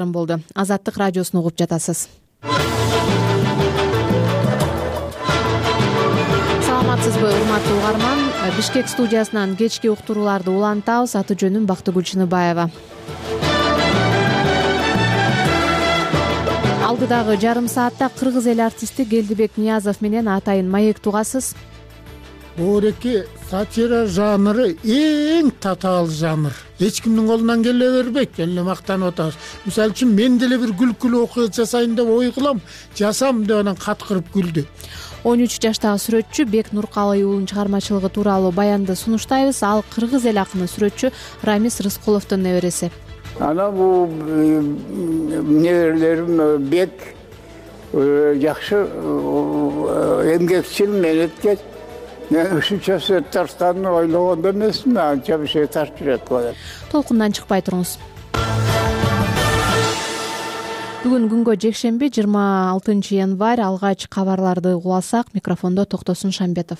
болду. Азаттык радиосун угуп жатасыз. Саламатсызбы, урматтуу угарман? Бишкек студиясынан кечки уктурууларды улантабыз. Аты жөнүм Бактыгүл Чыныбаева. Алдыдагы жарым саатта кыргыз эл артисти Келдибек Ниязов менен атайын маек тугасыз. Оореки сатира жанры эң татаал жанр. Эч кимдин колунан келе бербейт. Эле мактанып атабыз. Мисалы үчүн мен деле бир күлкүлүү окуя жасайын деп ой кылам, жасам деп анан каткырып күлдү. 13 жаштагы сүрөтчү Бек Нуркалый уулунун чыгармачылыгы тууралуу баянды сунуштайбыз. Ал кыргыз эл акыны сүрөтчү Рамис Рыскуловдун небереси. Ana bu nelerim Bek yakşı emgekçil menetkes. Ne üçüncü Taştan'ı oylağında emesin mi? Anca bir şey taş kürek var. Толкундан чыкпай туруңуз. Бүгүн күнгө жекшемби 26-январь. Алгач кабарларды угуласак, микрофондо Токтосун Шамбетов.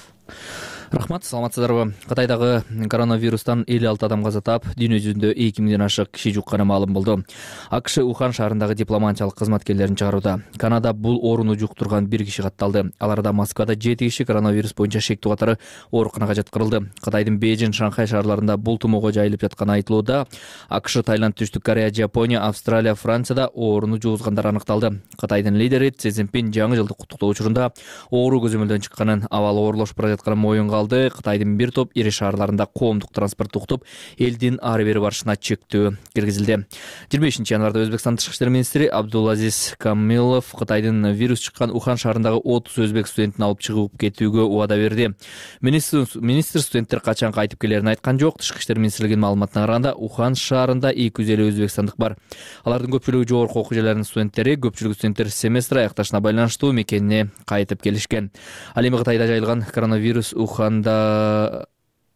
Рахмат, саламатсыздарбы? Кытайдагы коронавирустан 56 адам каза таап, дүйнө жүзүндө 2000ден ашык киши жукканы маалым болду. АКШ Ухан шаарындагы дипломатиялык кызматкерлерин чыгарууда. Канада бул ооруну жуктурган 1 киши катталды. Аларда Москвада 7 киши коронавирус боюнча шектүү катары ооруканага жаткырылды. Кытайдын Бейжин, Шанхай шаарларында бул тумоого жайылып жатканы айтылууда. АКШ, Таиланд, Түштүк Корея, Жапония, Австралия, Францияда ооруну жугузгандар аныкталды. Кытайдын лидери Си Цзиньпин жаңы жылдык куттуктоо учурунда оору көзөмөлдөн чыкканын, абалы оорлошуп бара жатканын моюнга алды. Кытайдын бир топ ири шаарларында коомдук транспорту уктуп, элдин ары бери барышына чектөө киргизилди. 25-январда Өзбекстан тышкы иштер министри Абдулазиз Камилов Кытайдын вирус чыккан Ухан шаарындагы 30 өзбек студентин алып чыгып кетүүгө убада берди. Министр студенттер качан кайтып келерин айткан жок. Тышкы иштер министрлигинин маалыматына караганда, Ухан шаарында 250 өзбекстандык бар. Алардын көпчүлүгү жогорку окуу жайларынын студенттери, көпчүлүгү студенттер семестр аякташына байланыштуу мекенине кайтып келишкен. Ал эми Кытайда жайылган коронавирус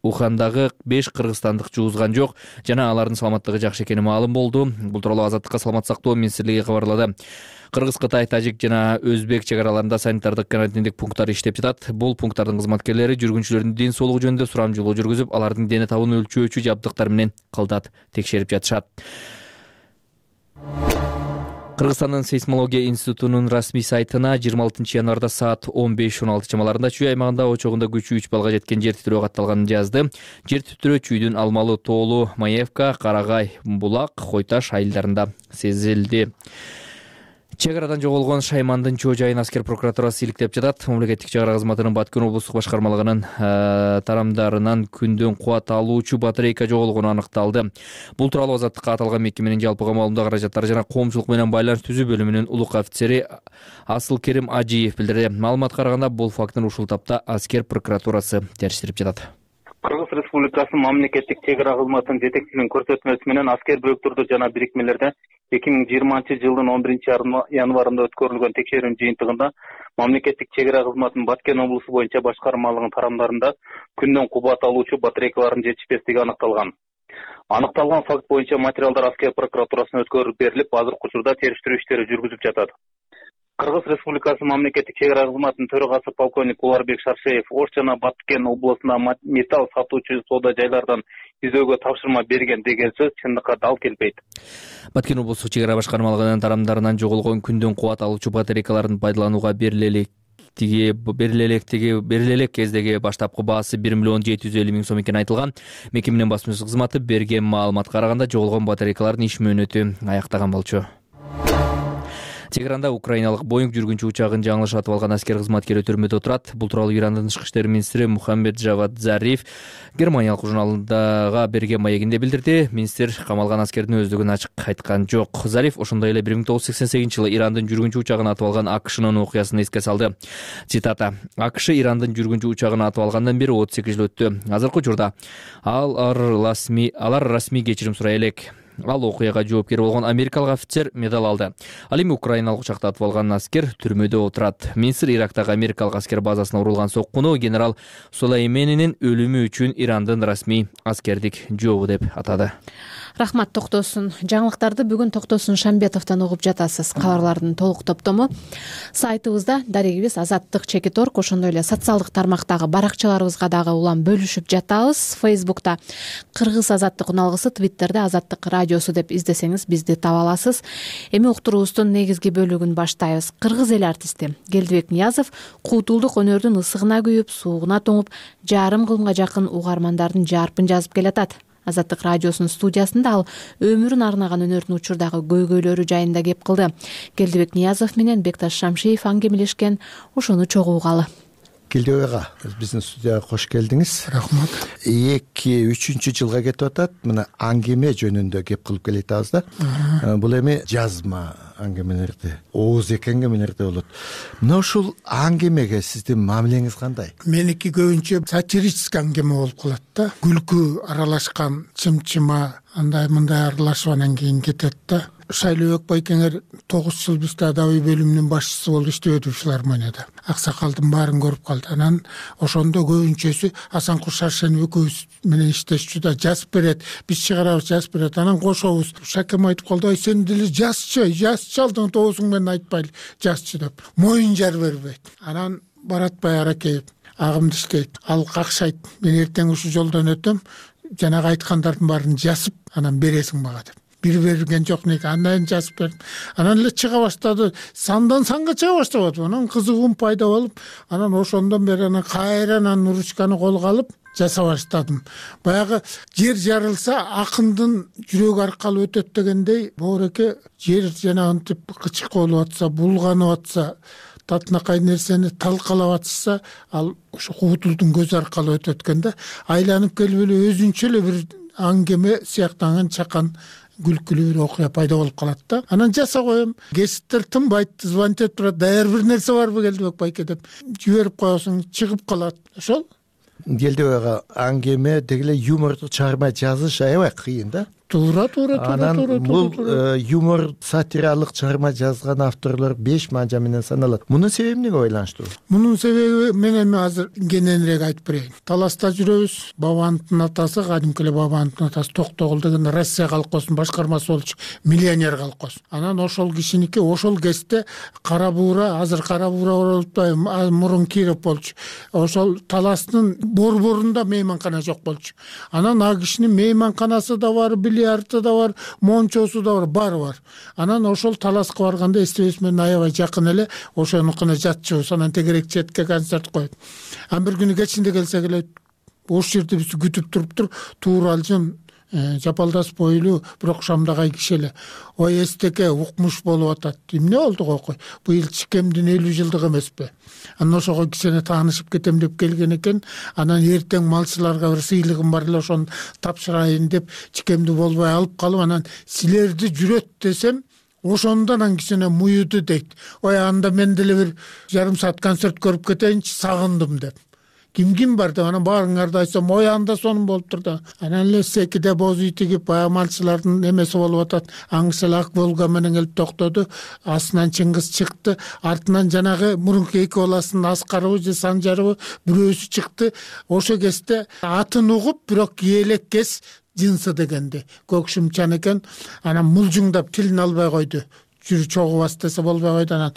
Ухандагы 5 кыргызстандык жугузган жок жана алардын саламаттыгы жакшы экени маалым болду. Бул тууралуу Азаттыкка саламат сактоо министрлиги кабарлады. Кыргыз, Кытай, тажик жана өзбек чек араларында санитардык карантиндик пункттар иштеп жатат. Бул пункттардын кызматкерлери жүргүнчүлөрдүн ден соолугу жөнүндө сурамжылоо жүргүзүп, алардын дене табын өлчөөчү жабдыктар менен кылдат текшерип жатышат. Кыргызстандын сейсмология институтунун расмий сайтына 26-январда саат 15:16 чамаларында Чүй аймагында очогунда күчү 3 балга жеткен жер титирөө катталганын жазды. Жер титирөө Чүйдүн Алмалы, Тоолу, Маевка, Карагай, Булак, Хойташ айылдарында сезилди. Чек арадан жоголгон Шаймандын Чоо жайын аскер прокуратурасы иликтеп жатат. Мамлекеттик чек ара кызматынын Баткен облустук башкармалыгынын тарамдарынан күндөн кубат алуучу батарейка жоголгону аныкталды. Бул тууралуу Азаттыкка аталган мекеменин жалпыга маалымдоо каражаттары жана коомчулук менен байланыш түзүү бөлүмүнүн улук офицери Асылкерим Ажиев билдирди. Маалыматка караганда, бул фактын ушул тапта аскер прокуратурасы териштирип жатат. Кыргыз Республикасынын мамлекеттик чек ара кызматынын жетекчилигинин көрсөтмөсү менен аскер бөлүктөрдө жана бирикмелерде 2020-жылдын 11-январында өткөрүлгөн текшерүүнүн жыйынтыгында мамлекеттик чек ара кызматынын Баткен облусу боюнча башкармалыгынын тарамдарында күндөн кубат алуучу батарейкалардын жетишпестиги аныкталган. Аныкталган факт боюнча материалдар аскер прокуратурасына өткөрүлүп берилип, азыркы учурда териштирүү иштери жүргүзүлүп жатат. Кыргыз Республикасынын мамлекеттик чек ара кызматынын төрагасы полковник Уларбек Шаршеев Ош жана Баткен облусунда металл сатуучу соода жайлардан издөөгө тапшырма берген деген сөз чындыкка дал келбейт. Баткен облустук чек ара башкармалыгынын тарамдарынан жоголгон күндөн кубат алуучу батарейкалардын пайдаланууга берилелек кездеги баштапкы баасы 1,750,000 сом экени айтылган. Мекеменин басмачылык кызматы берген маалыматка караганда, жоголгон батарейкалардын иш мөөнөтү аяктаган болчу. Тегеранда украиналык Боинг жүргүнчү учагын жаңылыш атып алган аскер кызматкери төрмөдө турат. Бул тууралуу Ирандын тышкы иштер министри Мухаммед Жавад Зариф Германиялык журналдага берген маегинде билдирди. Министр камалган аскердин өздүгүн ачык айткан жок. Зариф ошондой эле 1988-жылы Ирандын жүргүнчү учагын атып алган АКШнын окуясын эске салды. Цитата: "АКШ Ирандын жүргүнчү учагын атып алгандан бери 38 жыл өттү. Азыркы учурда алар расмий кечирим сурай элек. Ал окуяга жоопкер болгон америкалык офицер медал алды. Ал эми украиналык учакта атып алган аскер түрмөдө отурат. Министр Ирактагы америкалык аскер базасына урулган соккуну генерал Сулейменинин өлүмү үчүн Ирандын расмий аскердик жообу деп атады. Рахмат Токтосун. Жаңылыктарды бүгүн Токтосун Шамбетовдон угуп жатасыз. Кабарлардын толук топтому сайтыбызда дарегибиз Азаттык.org, ошондой эле социалдык тармактагы баракчаларыбызга дагы улам бөлүшүп жатабыз. Фейсбукта Кыргыз Азаттык уналгысы, Твиттерде Азаттык радиосу деп издесеңиз бизди таба аласыз. Эми уктуруубуздун негизги бөлүгүн баштайбыз. Кыргыз эл артисти Келдибек Ниязов куудулдук өнөрдүн ысыгына күйүп, суугуна тоңуп, жарым кылымга жакын угармандардын жарпын жазып келатат. Азаттык радиосунун студиясында ал өмүрүн арнаган өнөрдүн учурдагы көйгөйлөрү жайында кеп кылды. Келдибек Ниязов менен Бекташ Шамшиев аңгемелешкен, ошону чогуу угалы. Келдибек ага, биздин студияга кош келдиңиз. Рахмат. 2-3 жылга кетип атат. Мына аңгеме жөнүндө кеп кылып келатабыз да. Бул эми жазма аңгемелерди, ооз эки аңгемелерди болот. Мына ушул аңгемеге сиздин мамилеңиз кандай? Меники көбүнчө сатирический аңгеме болуп калат да. Күлкү аралашкан, чымчыма андай мындай аралашып анан кийин кетет да. Шайлообек байкеңер 9 жыл бизде адабий бөлүмүнүн башчысы болуп иштеп өтүп филармонияда. Аксакалдын баарын көрүп калды. Анан ошондо көбүнчөсү Асанкул Шаршенов экөөбүз менен иштешчү да, жазып берет, биз чыгарабыз, жазып берет. Анан кошобуз. Шакем айтып калды: "Ай, сен деле жазчы алдың тоосуң менен айтпайлы, жазчы" деп. Моюн жар бербейт. Анан Баратбай Аракеев агымды иштейт. Ал какшайт: "Мен эртең ушул жолдон өтөм, жанагы айткандардын баарын жазып, анан бересиң мага" деп. Бир берген жок неге, андан жазып бердим. Анан эле чыга баштады. Сандан санга чыга баштады. Анан кызыгуум пайда болуп, анан ошондон бери анан кайрадан ручканы колго алып жаса баштадым. Баягы жер жарылса акындын жүрөгү аркалуу өтөт дегендей, боореке жер жанагынтип кычык болуп атса, булганып атса, татынакай нерсени талкалап атса, ал ошо куудулдун көзү аркалуу өтөт экен да. Айланып келип эле өзүнчө эле бир аңгеме сыяктанган чакан күлкүлүү бир окуя пайда болуп калат да. Анан жаса коем. Кесиптер тынбайт, звонить этип турат: "Даяр бир нерсе барбы Келдибек байке" деп жиберип коесуң, чыгып калат. Ошол Келдибек ага, аңгеме деги эле юмордук чыгарма жазыш аябай кыйын да. Туура. Анан бул юмор, сатиралык чыгарма жазган авторлор 5 манжа менен саналат. Мунун себеби эмнеге байланыштуу? Мунун себеби мен эми азыр кененирээк айтып берейин. Таласта жүрөбүз. Бабановдун атасы, кадимки эле Бабановдун атасы Токтогул деген Россия колхозунун башкармасы болчу, миллионер колхоз. Анан ошол кишиники ошол кезде Кара Буура, азыр Кара Буура болуп атпайбы, мурун Киров болчу. Ошол Таластын борборунда мейманкана жок болчу. Анан а кишинин мейманканасы да бар, бильярды да бар, мончосу да бар, баары бар. Анан ошол Таласка барганда эстебес менен аябай жакын эле ошонукуна жатчыбыз. Анан тегерек четке концерт коет. Анан бир күнү кечинде келсек эле ош жерде бизди күтүп туруптур. Тууралжын, жапалдас бойлуу, бирок шамдагай киши эле. "Ой, эстеке, укмуш болуп атат." Эмне болду койкой? Быйыл Чикемдин 50 жылдыгы эмеспи? Анан ошого кишине таанышып кетем деп келген экен. Анан эртең малчыларга бир сыйлыгым бар эле, ошону тапшырайын деп Чикемди болбой алып калып, анан "Силерди жүрөт" десем, ошондон анан кичине муюду дейт. "Ой, анда мен деле бир жарым саат концерт көрүп кетейинчи, сагындым" деп. Ким бар деп анан баарыңарды айтсам, "Ой, анда сонун болуптур да." Анан эле секиде боз үй тигип, малчылардын эмеси болуп атат. Аңшыл ак Волга менен келип токтоду. Астынан Чыңгыз чыкты. Артынан жанагы мурунку эки баласынын Аскарыбы же Санжарыбы бирөөсү чыкты. Ошо кезде атын угуп, бирок киелек кес жынсы дегенди. Көкшүмчан экен. Анан мулжуңдап тилин албай койду. Жүрү чогубас десе болбой койду. Анан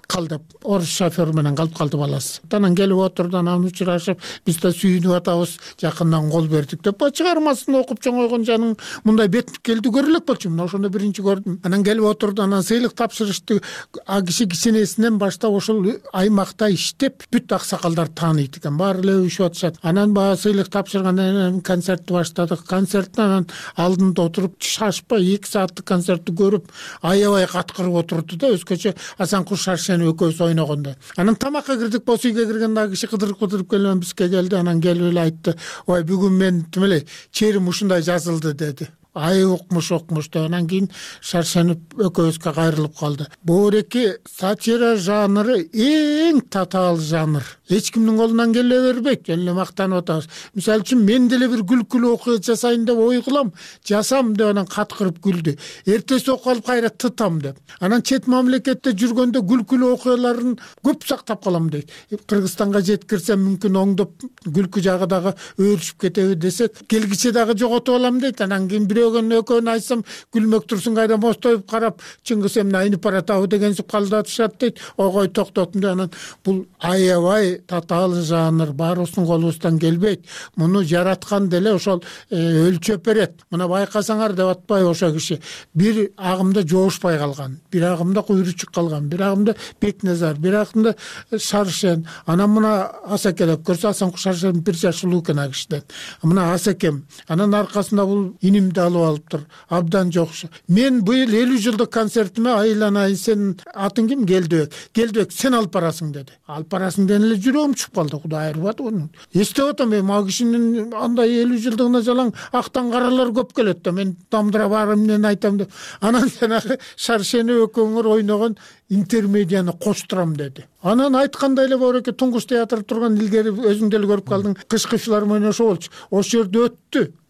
калдып, орус шофер менен калып калды баласы. Анан келип отурду, анан учурашып, биз да сүйүнүп атабыз, жакындан кол бердик деп. Чыгармасын окуп чоңойгон жаның мындай бет келди көрө элек болчу. Мына ошондо биринчи көрдүм. Анан келип отурду, анан сыйлык тапшырышты. А киши кичинесинен баштап ошол аймакта иштеп, бүт аксакалдар тааныйт экен. Баары эле өбүшүп атышат. Анан баягы сыйлык тапшыргандан кийин концертти баштадык. Концерттен анан алдында отуруп, шашпай 2 сааттык концертти көрүп, аябай каткырып отурду да, өзгөчө Асанкул Шаршенов экөөбүз ойногондо. Анан тамакка кирдик, боз үйгө киргенде аг киши кыдырып келип бизге келди. Анан келип эле айтты: "Ой, бүгүн мен тим эле черим ушундай жазылды" деди. Ай, укмуш деп. Анан кийин Шаршенов экөөбүзгө кайрылып калды. Боореки сатира жанры эң татаал жанр. Эч кимдин колунан келе бербейт. Жөн эле мактанып атабыз. Мисалы үчүн мен деле бир күлкүлүү окуя жасайын деп ой кылам, жасам деп анан каткырып күлдү. Эртеси окуп алып кайра тытам деп. Анан чет мамлекетте жүргөндө күлкүлүү окуяларын көп сактап калам дейт. Кыргызстанга жеткирсем мүмкүн оңдоп күлкү жагы дагы өөрүшүп кетеби десек, келгиче дагы жоготуп алам дейт. Анан кийин күлөөгөн экөөнү айтсам күлмөк турсун кайда мостоюп карап Чыңгыз эмне айнып баратабы дегенсип калдатышат дейт. Ой токтотум деп анан бул аябай татаал жанр, баарыбыздын колубуздан келбейт. Муну жараткан деле ошол өлчөп берет. Мына байкасаңар деп атпайбы ошо киши. Бир агымда жоошпай калган, бир агымда Куйручук калган, бир агымда Бекназар, бир агымда Шаршен. Анан мына Асаке деп көрсө, Асан Шаршен 1 жаш улуу экен ал кишиден. Мына Асакем. Анан аркасында бул инимди алып алыптыр. Абдан жокшу. Мен быйыл 50 жылдык концертиме айланайын, сен атың ким? Келдибек, сен алып барасың деди. Алып барасың деген эле жүрөгүм чуп калды. Кудай айырбат оны. Эстеп атам, мен ал кишинин андай 50 жылдыгына жалаң актан каралар көп келет да, мен дамдыра барып эмнени айтам деп. Анан жанагы Шаршени экөөңөр ойногон интермедияны коштурам деди. Анан айткандай эле Боореке Туңгуч театры турган илгери өзүң деле көрүп калдың, кышкы филармония ошо болчу. Ошол жерде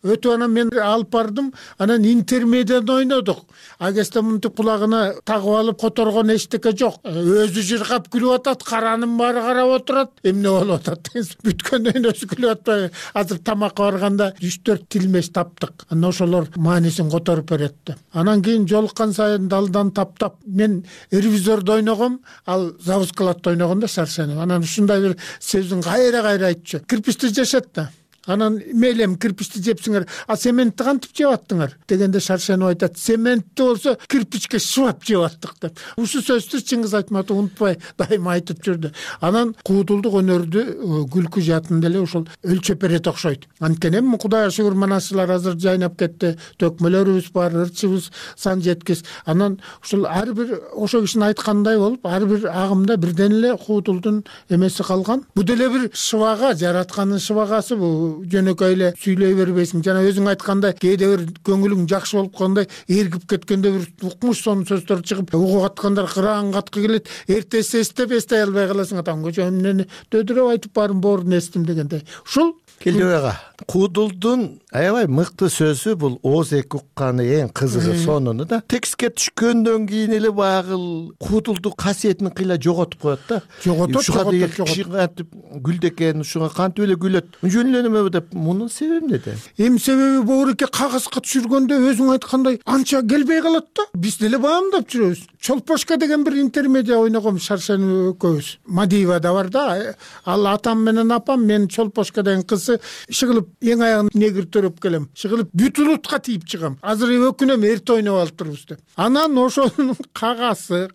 өтүп анан мен алып бардым, анан интермедияны ойнодук. Агесте мынтип кулагына тагып алып которгон эчтеке жок. Өзү жыргап күлүп атат, каранын баары карап отурат. Эмне болуп атат деген бүткөндөн өзү күлүп атпайбы? Азыр тамакка барганда 3-4 тилмеш таптык. Анан ошолор маанисин которуп берет. Анан кийин жолуккан сайын далдан таптап мен ревизордо ойногом, ал завускалатта ойногондо Шаршени. Анан ушундай бир сөздүн кайра айтчу. Кирпичти жешет да. Анан мейлем кирпичти жепсиңер, а цементти кантип жеп аттыңар дегенде Шаршенов айтат, цементти болсо кирпичке шыбап жеп аттык деп. Ушу сөздү Чыңгыз Айтматов унутпай дайыма айтып жүрдү. Анан куудулдук өнөрдү күлкү жаатын деле ушул өлчөп берет окшойт. Анткени эми Кудайга шүгүр манасчылар азыр жайнап кетти, төкмөлөрүбүз бар, ырчыбыз сан жеткис. Анан ушул ар бир ошо кишинин айткандай болуп, ар бир агымда бирден эле куудулдун эмеси калган. Бу деле бир шыбага, жараткандын шыбагасы бу. Жөнөкөй эле сүйлөй бербейсиң. Жана өзүң айткандай, кээде бир көңүлүң жакшы болуп калгандай, эргип кеткенде бир укмуш сонун сөздөр чыгып, угуп аткандар кыраан каткы келет. Эртеси эстей албай каласың. Атам көчө эмнени дөдөрөп айтып барын боорун эстим дегендей. Ушул Келдибек ага, куудулдун аябай мыкты сөзү бул ооз эки укканы эң кызыгы сонуну да. Текстке түшкөндөн кийин эле баягы куудулдук касиетин кыйла жоготуп коет да. Жоготот. Киши кантип күлдү экен, ушуга кантип эле күлөт. Жөн эле неме деп, мунун себеби эмнеде? Эми себеби Боореке кагазга түшүргөндө өзүң айткандай анча келбей калат да. Биз деле баамдап жүрөбүз. Чолпошка деген бир интермедия ойногом Шаршени экөөбүз. Мадиевада бар да. Ал атам менен апам, мен Чолпошка деген кызы шыгылып эң аягын негир төрөп келем. Шыгылып бүт улутка тийип чыгам. Азыр өкүнөм, эрте ойноп алып турбуз деп. Анан ошонун кагасы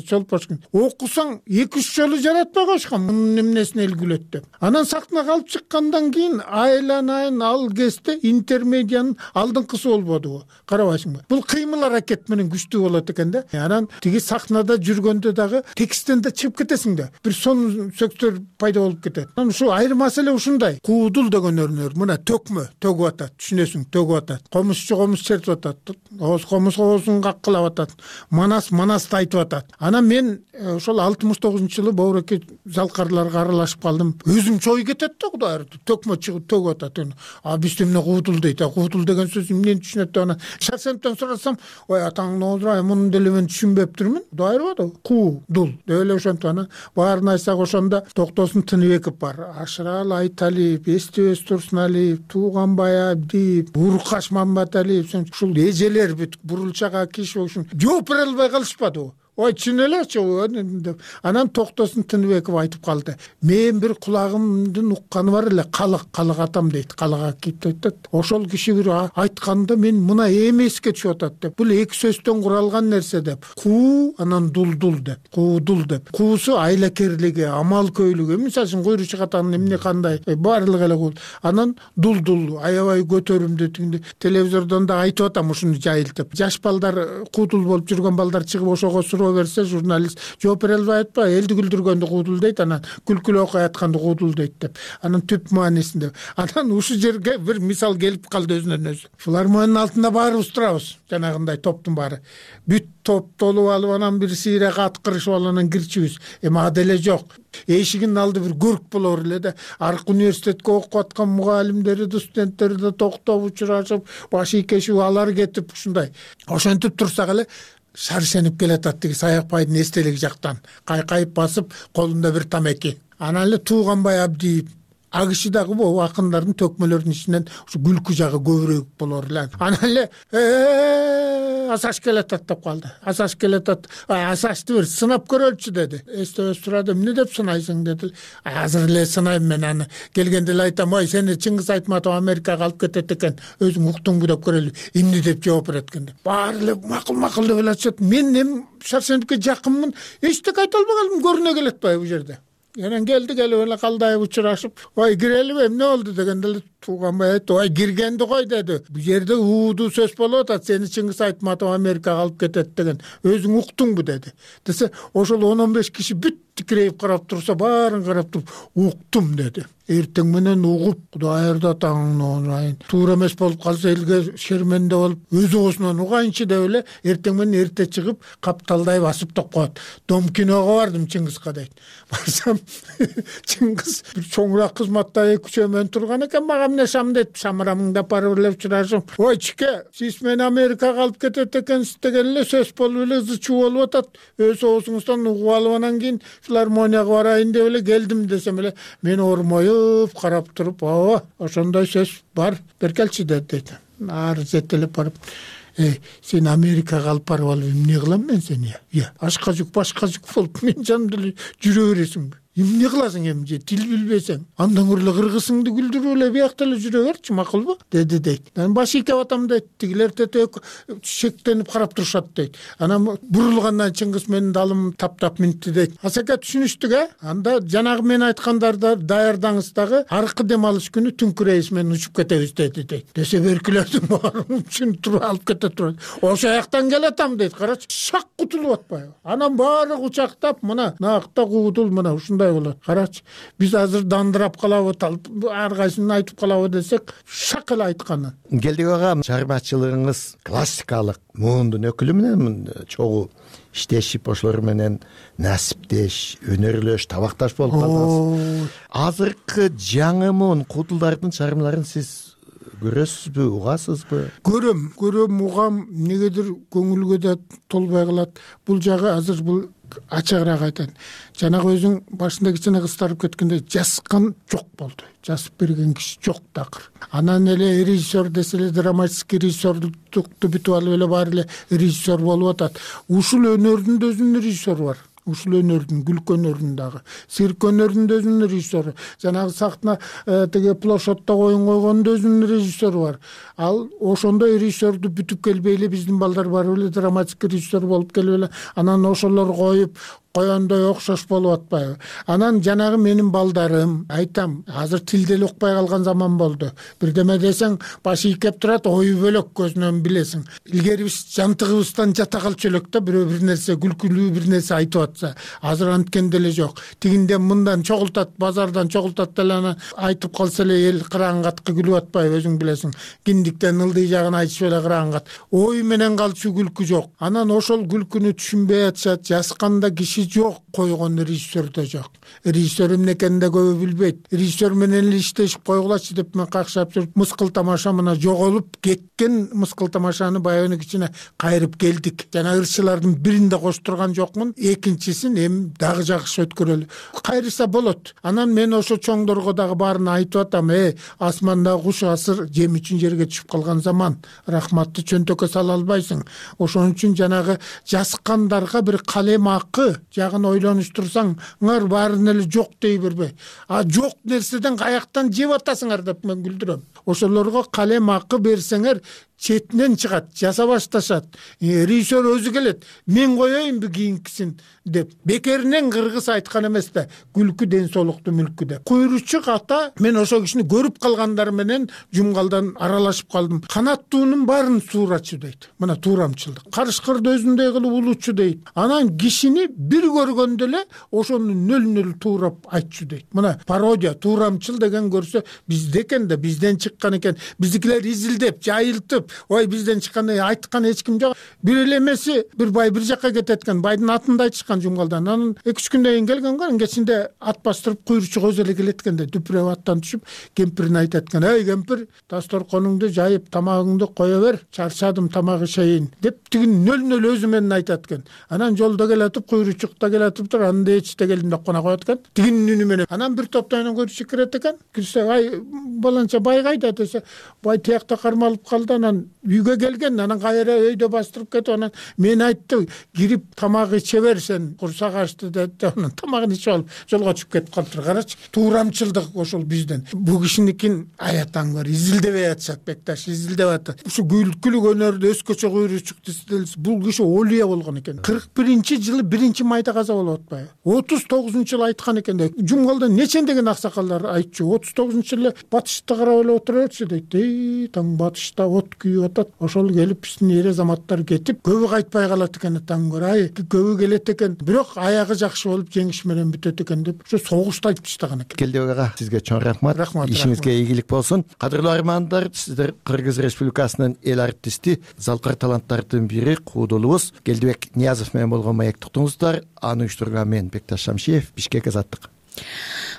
Чолпошка. Окусаң 2-3 жолу жаратпай коюшкан. Мунун эмнесине эл күлөт деп. Анан сахнага алып чыккандан кийин айланайын ал кезде интермедиянын алдыңкысы болбодубу? Карабайсыңбы? Бул кыймыл аракет менен күчтүү болот экен да. Анан тиги сахнада жүргөндө дагы тексттен да чыгып кетесиң да. Бир сонун сөктөр пайда болуп кетет. Анан ушу айырмасы эле ушундай. Куудул деген өнөр мына төгүп атат, түшүнөсүң, төгүп атат. Комузчу чертип атат. Комуз оозун каккылап атат. Манасты айтып атат. Анан мен ошол 69-жылы Боореке залкарларга аралашып калдым. Өзүм чой кетет да, Кудай ырды. Төкмө чыгып төгүп атат. А биз эмне куудул дейт. Куудул деген сөз эмнени түшүнөт деп анан Шаршенден сурасам, ой атаңды олдурай, муну деле мен түшүнбөптүрмүн. Кудай ырды. Куудул деп эле ошентип анан баарын айтсак ошондо Токтосун Тыныбеков бар. Ашырал Айталиев, Эстебес Турсуналиев, Тууганбай Абдиев, Уркаш Мамбаталиев, ушул эжелер бүт бурулчага киши ушун жооп бере албай калышпадыбы? Ой, чын элечи деп. Анан Токтосун Тыныбеков айтып калды. Мен бир кулагымдын укканы бар эле, калык атам дейт. Калыга кип айтат. Ошол киши бир айтканда мен мына эмеске түшүп атат деп. Бул эки сөздөн куралган нерсе деп. Куу, анан дулдул деп. Куудул деп. Куусу айлакерлиги, амалкөйлүгү. Мисалы үчүн Куйручук атанын эмне кандай, баардыгы эле кул. Анан дулдул, аябай көтөрүмдүү тигинде телевизордон да айтып атам ушуну жайылтып. Жаш балдар, куудул болуп жүргөн балдар чыгып ошого берсе журналист жооп бере албай атпайбы, элди күлдүргөндү куудул дейт, анан күлкүлүү окуй атканды куудул дейт деп. Анан түп маанисинде. Анан ушул жерге бир мисал келип калды өзүнөн өзү. Филармониянын алтында баарыбыз турабыз, жанагындай топтун баары. Бүт топ толуп алып анан бир сыйра каткырышып алып анан кирчүбүз. Эми аделе жок. Эшигинин алды бир көрк болор эле да. Аркы университетке окуп аткан мугалимдери да, студенттери да токтоп учурашып, баш ийкешип алар кетип ушундай. Ошентип турсак эле Шаршенип келатат тиги Саякбайдын эстелиги жактан. Кайкайып басып, колунда бир тамеки. Анан эле Тууганбай Абдиев АКШ дагы могу акындардын төкмөлөрүнүн ичинен ушу күлкү жагы көбүрөөк болор эле. Анан эле Асаш келатат деп калды. Асаш келатат. Асашты бир сынап көрөлчү деди. Эстебес турады. Эмне деп сынайсың деди. Азыр эле сынайм мен аны. Келгенде эле айтам, ой сени Чыңгыз Айтматов Америкага алып кетет экен. Өзүң уктуңбу деп көрөлү. Эмне деп жооп берет экен деп. Баары эле макул деп эле. Мен эми Шарсеновке жакынмын. Эчтеке айта албагалым, көрүнө келет атпайбы бул жерде. Анан келди, келип эле калдайып учурашып, ой кирелиби, эмне болду дегенде эле тууганбай айтты, ой киргенди кой деди. Бул жерде уудуу сөз болуп атат, сени Чыңгыз Айтматов Америкага алып кетет деген. Өзүң уктуңбу деди. Десе, ошол 10-15 киши бүт тикирейип карап турса, баарын карап туруп, уктум деди. Эртең менен угуп, Кудай ырда таңын айын. Туура эмес болуп калса элге шерменде болуп, өз оосунан угайынчы деп эле эртең менен эрте чыгып, капталдай басып топ коет. Дом киного бардым Чыңгызга дейт. Барсам Чыңгыз бир чоңураак кызматта 2-3 менен турган экен, мага эмне шам дейт. Шамырамыңды апарып эле учурашып, ой чике, сиз мени Америкага алып кетет экенсиз деген эле сөз болуп эле ызы-чуу болуп атат. Өз оосуңуздан угуп алып анан кийин филармонияга барайын деп эле келдим десем эле, мен ормоюп карап туруп, ошондой сөз бар, беркелчи дейт. Ары жетелеп барып, сени Америкага алып барып алып эмне кылам мен сени? Ашка жүк, башка жүк болуп мен жанымда эле жүрө бересиңби? Эмне кыласың эми же тил билбесең? Андан көрө эле кыргызыңды күлдүрүп эле биякта эле жүрө берчи, макулбу? Деди дейт. Мен баш ийкеп атам дейт. Тигилер тетек шектенип карап турушат дейт. Анан бурулгандан Чыңгыз менин далым таптап минти дейт. Асаке түшүнүштүк, Анда жанагы мен айткандарды даярдаңыз дагы, аркы дем алыш күнү түнкү рейс менен учуп кетебиз деди дейт. Десе беркилердин баары үчүн туруп алып кете турат. Ошо жактан келатам дейт. Карачы, шак кутулуп атпайбы? Анан баары кучактап, мына накта куудул, мына ушундай болот. Карачы, биз азыр дандырап калабы, ар кайсысын айтып калабы десек, шак эле айтканын. Келдик ага, чыгармачылыгыңыз классикалык муундун өкүлү менен чогуу иштешип, ошолор менен насиптеш, өнөрлөш, табакташ болуп калдыңыз. Азыркы жаңы муун куудулдардын чыгармаларын сиз көрөсүзбү, угасызбы? Көрөм, угам, негедир көңүлгө да толбой калат. Бул жагы азыр бул ачыгыраак айтайын. Жанагы өзүң башында кичине кыстарып кеткенде жазган жок болду. Жазып берген киши жок такыр. Анан эле режиссер десе эле драматический режиссерлукту бүтүп алып эле баары эле режиссер болуп атат. Ушул өнөрдүн да өзүнүн режиссеру бар. Ушул өнөрдүн, күлкү өнөрүнүн дагы, цирк өнөрүнүн да өзүнүн режиссеру. Жанагы сахна теге площадьта коюн койгондун да өзүнүн режиссеру бар. Ал ошондой режиссерду бүтүп келбей эле биздин балдар барып эле драматический режиссер болуп келип эле анан ошолор коюп коёндой окшош болуп атпайбы? Анан жанагы менин балдарым, айтам, азыр тил деле укпай калган заман болду. Бирдеме десең, баш ийкеп турат, ою бөлөк көзүнөн билесиң. Илгери биз жантыгыбыздан жата калчу элек да, бирөө бир нерсе күлкүлүү бир нерсе айтып атса. Азыр анткен деле жок. Тигинден мындан чогултат, базардан чогултат деле анан айтып калса эле эл кыраңгатка күлүп атпайбы, өзүң билесиң. Киндиктен ылдый жагын айтышып эле кыраңгат. Ой менен калчу күлкү жок. Анан ошол күлкүнү түшүнбөй атышат, жазганда киши жок, койгон режиссер да жок. Режиссер эмне экенин да көбү билбейт. Режиссер менен эле иштешип койгулачы деп мен какшап жүрүп, мыскыл тамаша мына жоголуп кеткен мыскыл тамашаны баягы кичине кайрып келдик. Жана ырчылардын биринде коштурган жокмун, экинчисин эми дагы жакшы өткөрөлү. Кайрыса болот. Анан мен ошо чоңдорго дагы баарын айтып атам, асманда куш асыр жем үчүн жерге түшүп калган заман. Рахматты чөнтөккө сала албайсың. Ошон үчүн жанагы жазгандарга бир калем акы жагын ойлонуштурсаңар баарын эле жок дей бербей. Жок нерседен каяктан жеп атасыңар деп мен күлдүрөм. Ошолорго калем акы берсеңер четинен чыгат, жаса башташат. Режиссер өзү келет, мен коеюнбу кийинкисин деп. Бекеринен кыргыз айткан эмес да, күлкү ден соолукту мүлкү деп. Куйручук ата, мен ошол кишини көрүп калгандар менен жумгалдан аралашып калдым. Канаттуунун баарын суурачу дейт. Мына туурамчылдык. Карышкырды өзүндөй кылып улучу дейт. Анан кишини бир көргөндө эле ошону нөл туурап айтчу дейт. Мына пародия, туурамчыл деген көрсө бизде экен да, бизден чыккан экен. Биздикилер изилдеп, жайылтып, ой бизден чыккандай айткан эч ким жок. Бир эле эмеси, бир бай бир жакка кетет экен, байдын атында айтышкан Жумгалдан. Анан 2-3 күндөн кийин келген го, кечинде ат бастырып куйручук өзү эле келет экен да, дүпүрөп аттан түшүп кемпирине айтат экен: "Эй кемпир, дасторконуңду жайып, тамагыңды кое бер, чарчадым, тамак ишейин" деп тиги нөл өзү менен айтат экен. Анан жолдо келатып, куйручукта келатып тур, анда эчте келдим деп кона коет экен. Тигинин үнү менен. Анан бир топтойнон куйручук кирет экен. Кирсе: "Ай, баланча бай кайда?" десе, бай тиякта кармалып калды. Анан үйгө келген, анан кайра өйдө бастырып кетип, анан мен айтты, кирип тамак иче бер, сен курсак ачты деди. Анан тамагын ичип алып жолго чыгып кетип калыптыр. Карачы, туурамчылдык ошол бизден. Бул кишиникин аятаң бар, изилдебей атышат Бекташ, изилдеп атат. Ушу күлкүлүк өнөрдө өзгөчө куйручук десе, бул киши олия болгон экен. 41-жылы 1-майда каза болуп атпайбы? 39-жылы айткан экен да. Жумгалда нечендеген аксакалдар айтчу. 39-жылы батышты карап эле отура берчү дейт. Таң батышта от күйүп атат. Ошол келип биздин эр азаматтар кетип, көбү кайтпай калат экен таң көр. Ай, көбү келет экен, бирок аягы жакшы болуп жеңиш менен бүтөт экен деп ошо согушта айтып таштаган экен. Келдибек ага, сизге чоң рахмат. Ишиңизге ийгилик болсун. Кадырлуу армандар, сиздер Кыргыз Республикасынын эл артисти, залкар таланттардын бири куудулубуз Келдибек Ниязов менен болгон маектик туңуздар. Аны уюштурган мен Бекташ Шамшиев, Бишкек, Азаттык.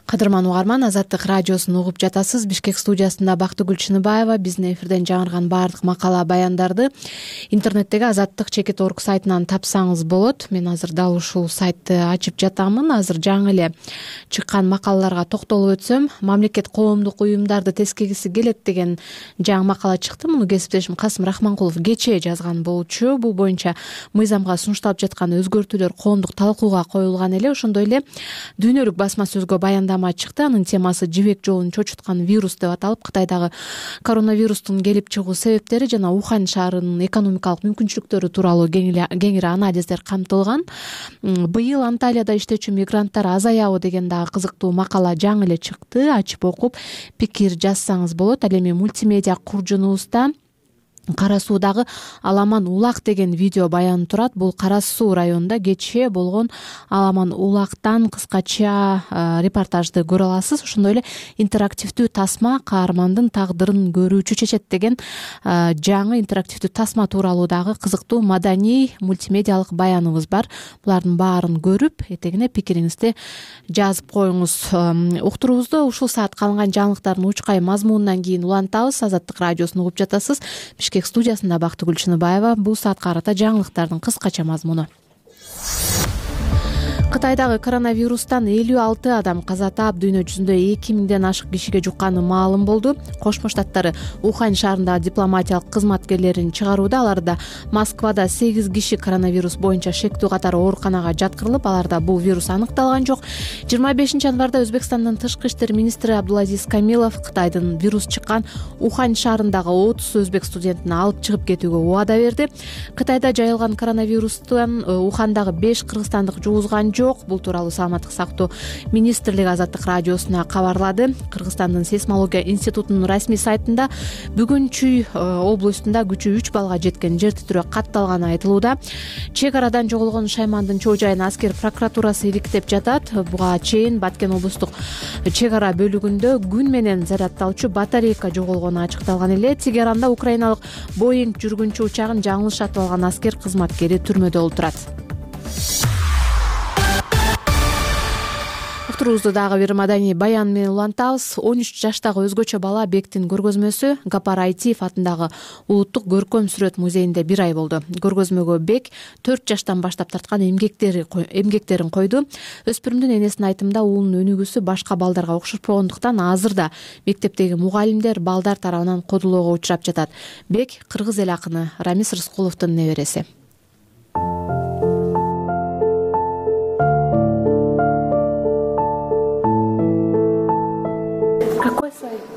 Кадырман угарман, Азаттык радиосун угуп жатасыз. Бишкек студиясында Бактыгүл Чыныбаева. Биздин эфирден жаңырган баардык макала баяндарды интернеттеги azattik.org сайтынан тапсаңыз болот. Мен азыр дал ушул сайтты ачып жатамын. Азыр жаңы эле чыккан макалаларга токтолуп өтсөм, мамлекет коомдук уюмдарды тескегиси келет деген жаңы макала чыкты. Муну кесиптешим Касым Рахманкулов кечээ жазган болчу. Бул боюнча мыйзамга сунушталып жаткан өзгөртүүлөр коомдук талкууга коюлган эле. Ошондой эле дүйнөлүк басма сөзгө баяндама чыкты. Анын темасы жибек жолун чочуткан вирус деп аталып, Кытайдагы коронавирустун келип чыгуу себептери жана Ухань шаарынын экономикалык мүмкүнчүлүктөрү тууралуу кеңири анализдер камтылган. Быйыл Анталияда иштечү мигранттар азаябы деген дагы кызыктуу макала жаңы эле чыкты. Ачып окуп, пикир жазсаңыз болот. Ал эми мультимедиа куржунубузда Кара Суудагы Аламан Улак деген видео баян турат. Бул Кара Суу районунда кечээ болгон Аламан Улактан кыскача репортажды көрө аласыз. Ошондой эле интерактивдүү тасма каармандын тагдырын көрүүчү чечет деген жаңы интерактивдүү тасма тууралуу дагы кызыктуу маданий мультимедиалык баяныбыз бар. Булардын баарын көрүп, этегине пикириңизди жазып коюңуз. Уктуруубузду ушул саат калган жаңылыктардын учкай мазмунунан кийин улантабыз. Азаттык радиосун угуп жатасыз. Бишкек студиясында Бактыгүл Чыныбаева. Бул саатка карата жаңылыктардын кыскача мазмуну. Кытайдагы коронавирустан 56 адам каза таап, дүйнө жүзүндө 2000ден ашык кишиге жукканы маалым болду. Кошмо Штаттары Ухань шаарындагы дипломатиялык кызматкерлерин чыгарууда. Аларда Москвада 8 киши коронавирус боюнча шектүү катары ооруканага жаткырылып, аларда бул вирус аныкталган жок. 25 январда Өзбекстандын тышкы иштер министри Абдулазиз Камилов Кытайдын вирус чыккан Ухань шаарындагы 30 өзбек студентин алып чыгып кетүүгө убада берди. Кытайда жайылган коронавирустан Ухандагы 5 кыргызстандык жугузган жок. Бул тууралуу Саламаттык сактоо министрлиги Азаттык радиосуна кабарлады. Кыргызстандын сейсмология институтунун расмий сайтында бүгүн Чүй областында күчү 3 балга жеткен жер титирөө катталганы айтылууда. Чек арадан жоголгон Шаймандын чоо жайын аскер прокуратурасы иликтеп жатат. Буга чейин Баткен облустук чек ара бөлүгүндө күн менен зарядталчу батарейка жоголгону ачыкталган эле. Тегеранда украиналык Боинг жүргүнчү учагын жаңылыш сатып алган аскер кызматкери түрмөдө олтурат. Уктуруубузду дагы бир маданий баян менен улантабыз. 13 жаштагы өзгөчө бала Бектин көргөзмөсү Гапар Айтиев атындагы улуттук көркөм сүрөт музейинде 1 ай болду. Көргөзмөгө Бек 4 жаштан баштап тарткан эмгектерин койду. Өспүрүмдүн энесинин айтымында уулунун өнүгүүсү башка балдарга окшошпогондуктан азыр да мектептеги мугалимдер балдар тарабынан кодулоого учурап жатат. Бек кыргыз эл акыны Рамис Рыскуловдун небереси.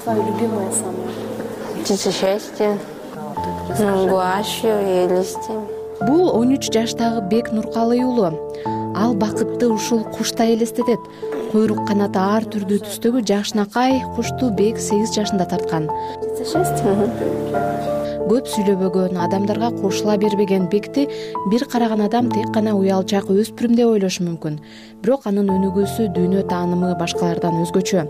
Твое любимое самое? Птица счастья, гуашью и листья. Бул 13 жаштагы Бек Нуркалый уулу. Ал бакытты ушул куштай элестетет. Койрук канаты ар түрдүү түстөгү жакшынакай кушту Бек 8 жашында тарткан. Птица счастья. көп сүйлөбөгөн, адамдарга кошула бербеген Бекти бир караган адам тек гана уялчак өспүрүм деп ойлошу мүмкүн. Бирок анын өнүгүүсү, дүйнө таанымы башкалардан өзгөчө.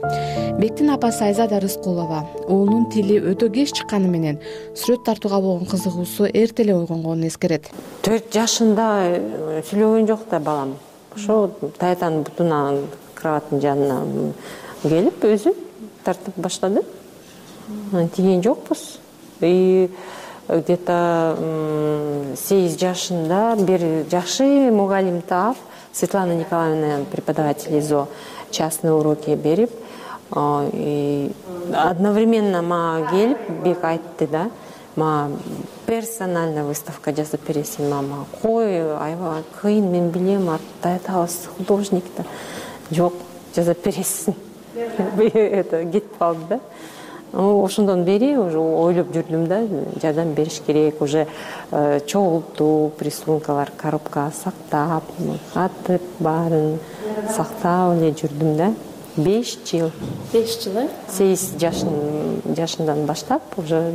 Бектин апасы Айзада Рыскулова уулунун тили өтө кеч чыкканы менен сүрөт тартууга болгон кызыгуусу эрте эле ойгонгонун эскерет. 4 жашында сүйлөгөн жок да балам. Ошо таятанын бутуна кроваттын жанына келип өзү тартып баштады. Тиген жокпуз. И где-то 8 жашында бир жакшы мугалим таап, Светлана Николаевна, преподаватель ИЗО, частные уроки берип, и одновременно мага келип Бек айтты да, мага персонально выставка жасап бересиң, мама. Кой, аябай кыйын, мен билем, таятабыз художник да. Жок, жасап бересиң. Это кетип калды да. Ошондон бери уже ойлоп жүрдүм да, жардам бериш керек, уже чогултуп, рисункалар коробкага сактап, катып баарын сактап эле жүрдүм да. 5 жыл. 5 жыл, э? 8 жашынан баштап уже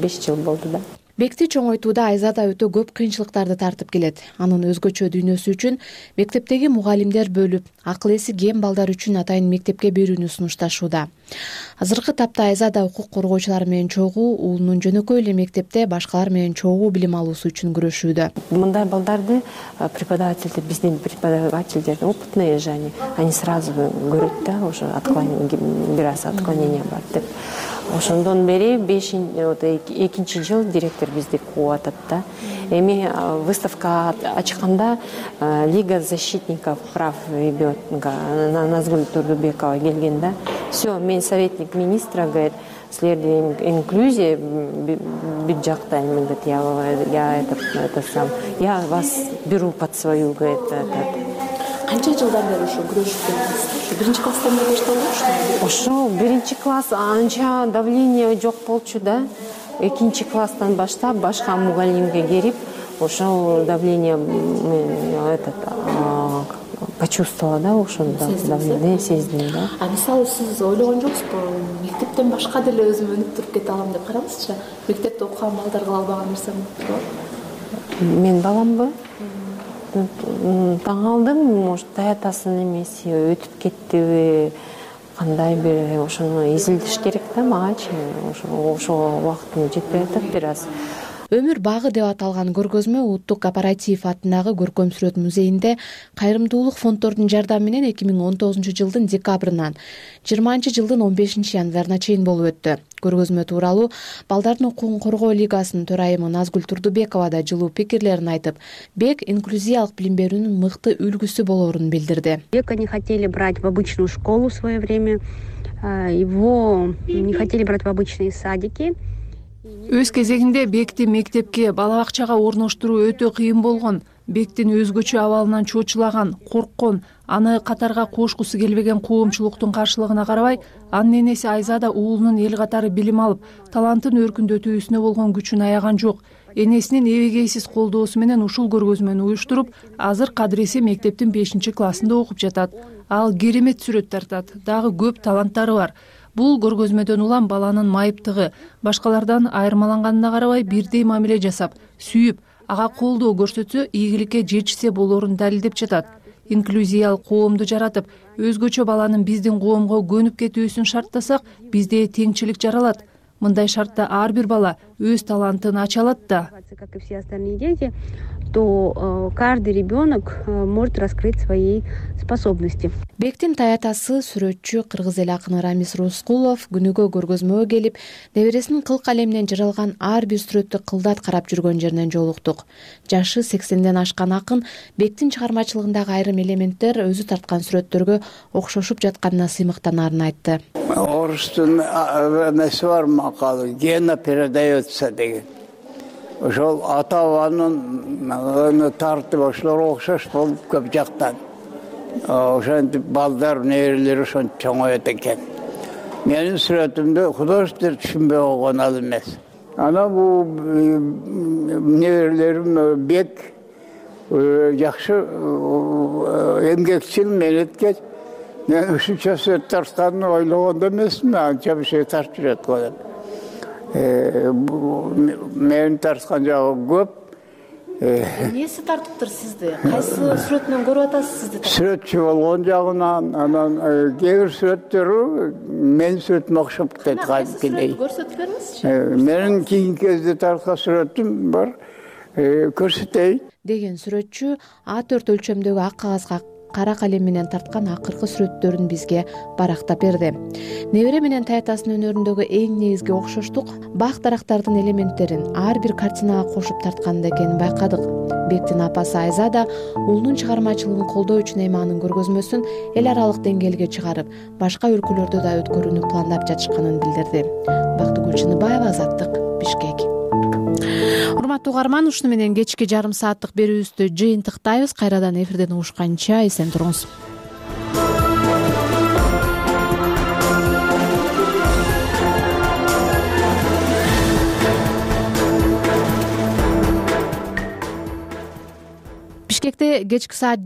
5 жыл болду да. Бекти чоңойтууда Айзада өтө көп кыйынчылыктарды тартып келет. Анын өзгөчө дүйнөсү үчүн мектептеги мугалимдер бөлүп, акыл эси кем балдар үчүн атайын мектепке берүүнү сунушташууда. Азыркы тапта Айзада укук коргоочулар менен чогуу, уулунун жөнөкөй эле мектепте башкалар менен чогуу билим алуусу үчүн күрөшүүдө. Мындай балдарды преподавательдер, биздин преподавательдер опытные же они сразу көрөт да, уже отклонение, бир аз отклонение бар деп. Ошондон бери 2 жыл директор бизди кууп атат да. Эми выставка ачканда Лига защитников прав ребенка Назгүл Турдубекова келген да. Все, мен советник министра, говорит, силерде инклюзия бүт жактайм, говорит, я вас беру под свою, говорит. Канча жылдан бери ошо күрөшүп келесиз? Биринчи класстан бери башталды? Ошо биринчи класс анча давление жок болчу да. Экинчи класстан баштап башка мугалимге келип, ошо давление почувствовала да, ошондо давление сездим да. А мисалы сиз ойлогон жоксузбу, мектептен башка деле өзүм өнүп туруп кете алам деп караңызчы? Мектепте окуган балдар кыла албаган нерсем бар? Мен баламбы? Таң алдым, может, таятасынын эмеси өтүп кеттиби, кандай бир ошону изилдеш керек да магачы. Ошо убактым жетпей атат бир аз. Өмүр багы деп аталган көргөзмө Улуттук кооператив атындагы көркөм сүрөт музейинде кайрымдуулук фонддордун жардамы менен 2019-жылдын декабрынан 20-жылдын 15-январына чейин болуп өттү. Көргөзмө тууралуу Балдардын укугун коргоо лигасынын төрайымы Назгүл Турдубекова да жылуу пикирлерин айтып, Бек инклюзиялык билим берүүнүн мыкты үлгүсү болоорун билдирди. Бека не хотели брать в обычную школу в свое время, его не хотели брать в обычные садики. Өз кезегинде Бекти мектепке, бала бакчага орноштуруу өтө кыйын болгон. Бектин өзгөчө абалынан чочулаган, корккон, аны катарга кошкусу келбеген коомчулуктун каршылыгына карабай, анын энеси Айзада уулунун эл катары билим алып, талантын өркүндөтүүсүнө болгон күчүн аяган жок. Энесинин эбегейсиз колдоосу менен ушул көргөзмөнү уюштуруп, азыр Кадриси мектептин 5-классында окуп жатат. Ал керемет сүрөт тартат, дагы көп таланттары бар. Бул көргөзмөдөн улам баланын майыптыгы, башкалардан айырмаланганына карабай бирдей мамиле жасап, сүйүп, ага колдоо көрсөтсө ийгиликке жетишсе болоорун далилдеп жатат. Инклюзиялык коомду жаратып, өзгөчө баланын биздин коомго көнүп кетүүсүн шарттасак, бизде теңчилик жаралат. Мындай шартта ар бир бала өз талантын ача алат да. Как и все остальные дети, то каждый ребенок может раскрыть свои способности. Бектин таятасы сүрөтчү кыргыз эл акыны Рамис Рускулов күнүгө көргөзмөгө келип, небересинин кыл калеминен жаралган ар бир сүрөттү кылдат карап жүргөн жеринен жолуктук. Жашы 80ден ашкан акын Бектин чыгармачылыгындагы айрым элементтер өзү тарткан сүрөттөргө окшошуп жатканына сыймыктанаарын айтты. Орустун эмеси бар макалы, гена передается деген. Ошол ата-бабанын тартып ошолор окшош болуп көп жактан. Ошентип балдар, неберелер ошентип чоңоет экен. Менин сүрөтүмдө художниктер түшүнбөй койгон ал эмес. Ана бул неберелерим Бек жакшы эмгекчил, менеткеч. Мен ушунча сүрөт тартканын ойлогон да эмесмин, анча бир şey тартып жүрөт го деп. Мени тарткан жагы көп. Эмнеси тартыптыр сизди? Кайсы сүрөтүнөн көрүп атасыз сизди? Сүрөтчү болгон жагынан, анан кээ бир сүрөттөрү менин сүрөтүмө окшоп кетет кадимкидей. Көрсөтүп бериңизчи. Менин кийинки кезде тарткан сүрөтүм бар. Көрсөтөйүн Деген сүрөтчү А4 өлчөмдөгү ак кагазга кара калем менен тарткан акыркы сүрөттөрүн бизге барактап берди. Небере менен таятасынын өнөрүндөгү эң негизги окшоштук бак дарактардын элементтерин ар бир картинага кошуп тартканда экенин байкадык. Бектин апасы Айза да уулунун чыгармачылыгын колдоо үчүн эми анын көргөзмөсүн эл аралык деңгээлге чыгарып, башка өлкөлөрдө да өткөрүүнү пландап жатышканын билдирди. Бактыгүл Чыныбаева, Азаттык, Бишкек. Урматтуу угарман, ушуну менен кечки жарым сааттык берүүбүздү жыйынтыктайбыз. Кайрадан эфирден угушканча эсен туруңуз. Бишкекте кечки саат